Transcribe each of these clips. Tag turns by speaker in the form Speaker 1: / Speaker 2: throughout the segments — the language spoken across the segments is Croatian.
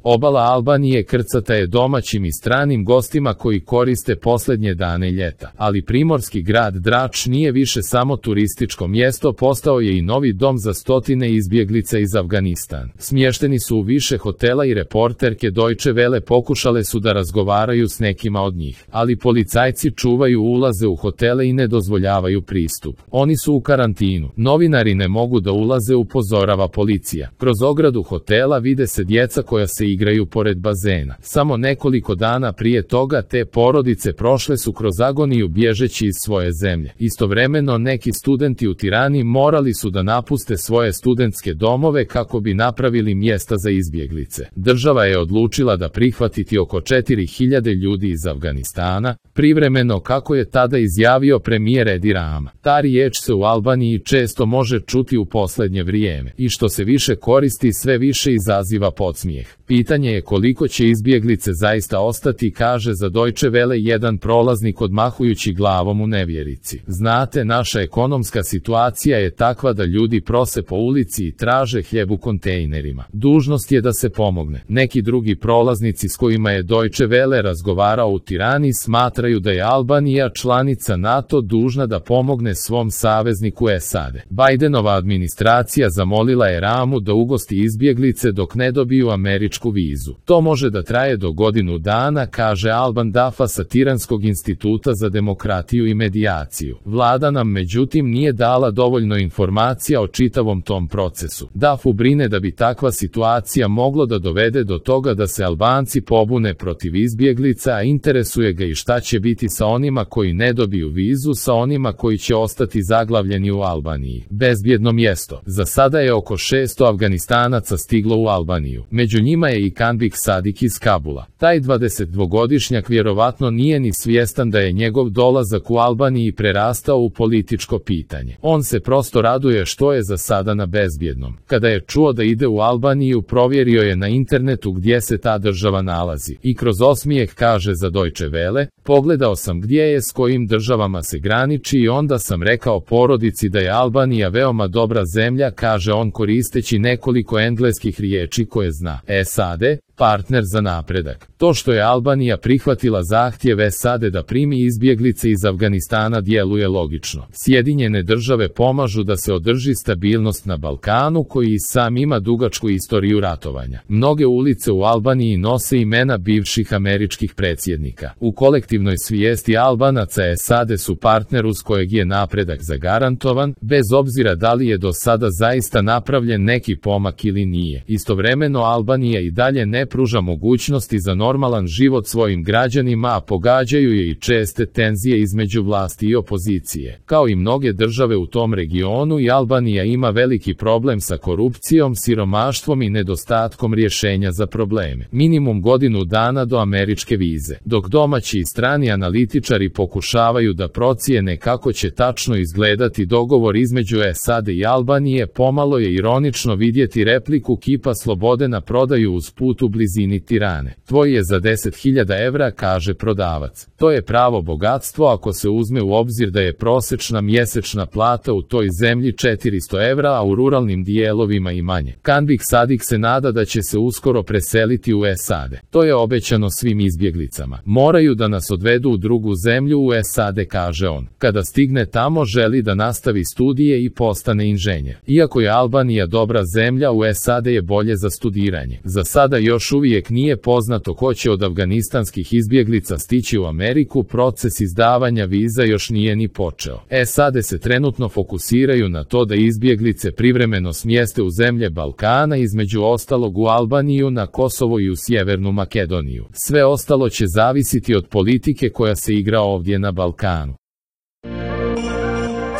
Speaker 1: Obala Albanije krcata je domaćim i stranim gostima koji koriste posljednje dane ljeta, ali primorski grad Drač nije više samo turističko mjesto, postao je i novi dom za stotine izbjeglica iz Afganistana. Smješteni su u više hotela i reporterke Deutsche Welle pokušale su da razgovaraju s nekima od njih, ali policajci čuvaju ulaze u hotele i ne dozvoljavaju pristup. Oni su u karantinu. Novinari ne mogu da ulaze, upozorava policija. Kroz ogradu hotela vide se djeca koja se igraju pored bazena. Samo nekoliko dana prije toga te porodice prošle su kroz agoniju bježeći iz svoje zemlje. Istovremeno neki studenti u Tirani morali su da napuste svoje studentske domove kako bi napravili mjesta za izbjeglice. Država je odlučila da prihvatiti oko 4000 ljudi iz Afganistana, privremeno, kako je tada izjavio premijer Edi Rama. Ta riječ se u Albaniji često može čuti u posljednje vrijeme i što se više koristi sve više izaziva podsmijeh. Pitanje je koliko će izbjeglice zaista ostati, kaže za Deutsche Welle jedan prolaznik odmahujući glavom u nevjerici. Znate, naša ekonomska situacija je takva da ljudi prose po ulici i traže hljeb u kontejnerima. Dužnost je da se pomogne. Neki drugi prolaznici s kojima je Deutsche Welle razgovarao u Tirani smatraju da je Albanija, članica NATO, dužna da pomogne svom savezniku SAD. Bidenova administracija zamolila je Ramu da ugosti izbjeglice dok ne dobiju američku vizu. To može da traje do godinu dana, kaže Alban Dafa sa Tiranskog instituta za demokratiju i medijaciju. Vlada nam međutim nije dala dovoljno informacija o čitavom tom procesu. Dafu brine da bi takva situacija moglo da dovede do toga da se Albanci pobune protiv izbjeglica, a interesuje ga i šta će biti sa onima koji ne dobiju vizu, sa onima koji će ostati zaglavljeni u Albaniji. Bezbjedno mjesto. Za sada je oko 600 Afganistanaca stiglo u Albaniju. Među njima je i Kanbik Sadik iz Kabula. Taj 22-godišnjak vjerovatno nije ni svjestan da je njegov dolazak u Albaniji prerastao u političko pitanje. On se prosto raduje što je za sada na bezbjednom. Kada je čuo da ide u Albaniju, provjerio je na internetu gdje se ta država nalazi i kroz osmijeh kaže za Deutsche Welle: pogledao sam gdje je, s kojim državama se graniči i onda sam rekao porodici da je Albanija veoma dobra zemlja, kaže on koristeći nekoliko engleskih riječi koje zna. SAD, partner za napredak. To što je Albanija prihvatila zahtjev SAD da primi izbjeglice iz Afganistana djeluje logično. Sjedinjene države pomažu da se održi stabilnost na Balkanu koji i sam ima dugačku istoriju ratovanja. Mnoge ulice u Albaniji nose imena bivših američkih predsjednika. U kolektivnoj svijesti Albanaca SAD su partner uz kojeg je napredak zagarantovan, bez obzira da li je do sada zaista napravljen neki pomak ili nije. Istovremeno Albanija i dalje ne pruža mogućnosti za normalan život svojim građanima, a pogađaju je i česte tenzije između vlasti i opozicije. Kao i mnoge države u tom regionu, i Albanija ima veliki problem sa korupcijom, siromaštvom i nedostatkom rješenja za probleme. Minimum godinu dana do američke vize. Dok domaći i strani analitičari pokušavaju da procijene kako će tačno izgledati dogovor između SAD i Albanije, pomalo je ironično vidjeti repliku kipa slobode na prodaju uz put u blizini Tirane. Tvoj je za 10.000 evra, kaže prodavac. To je pravo bogatstvo ako se uzme u obzir da je prosječna mjesečna plata u toj zemlji 400 evra, a u ruralnim dijelovima i manje. Kanbik Sadik se nada da će se uskoro preseliti u SAD. To je obećano svim izbjeglicama. Moraju da nas odvedu u drugu zemlju u SAD, kaže on. Kada stigne tamo želi da nastavi studije i postane inženjer. Iako je Albanija dobra zemlja, u SAD je bolje za studiranje. Za sada još uvijek nije poznato ko će od afganistanskih izbjeglica stići u Ameriku, proces izdavanja viza još nije ni počeo. SAD se trenutno fokusiraju na to da izbjeglice privremeno smjeste u zemlje Balkana, između ostalog u Albaniju, na Kosovo i u Sjevernu Makedoniju. Sve ostalo će zavisiti od politike koja se igra ovdje na Balkanu.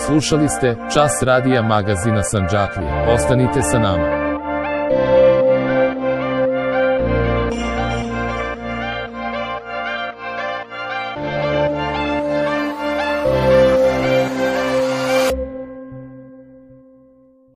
Speaker 1: Slušali ste Čas radija magazina Sandžaklija. Ostanite sa nama.